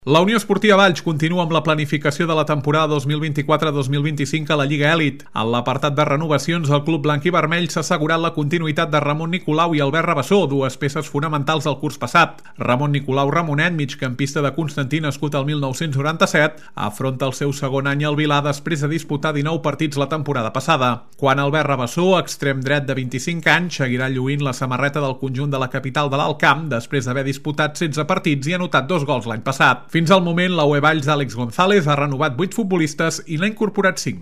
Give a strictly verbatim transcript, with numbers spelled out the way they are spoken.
La Unió Esportiva Valls continua amb la planificació de la temporada dos mil vint-i-quatre dos mil vint-i-cinc a la Lliga Elit. En l'apartat de renovacions, el club blanc i vermell s'ha assegurat la continuïtat de Ramon Nicolau i Albert Rabassó, dues peces fonamentals del curs passat. Ramon Nicolau Ramonet, migcampista de Constantí nascut el mil nou-cents noranta-set, afronta el seu segon any al Vilar després de disputar dinou partits la temporada passada. Quan Albert Rabassó, extrem dret de vint-i-cinc anys, seguirà lluint la samarreta del conjunt de la capital de l'Alt Camp després d'haver disputat setze partits i anotat dos gols l'any passat. Fins al moment, la U E Valls d'Àlex González ha renovat vuit futbolistes i n'ha incorporat cinc.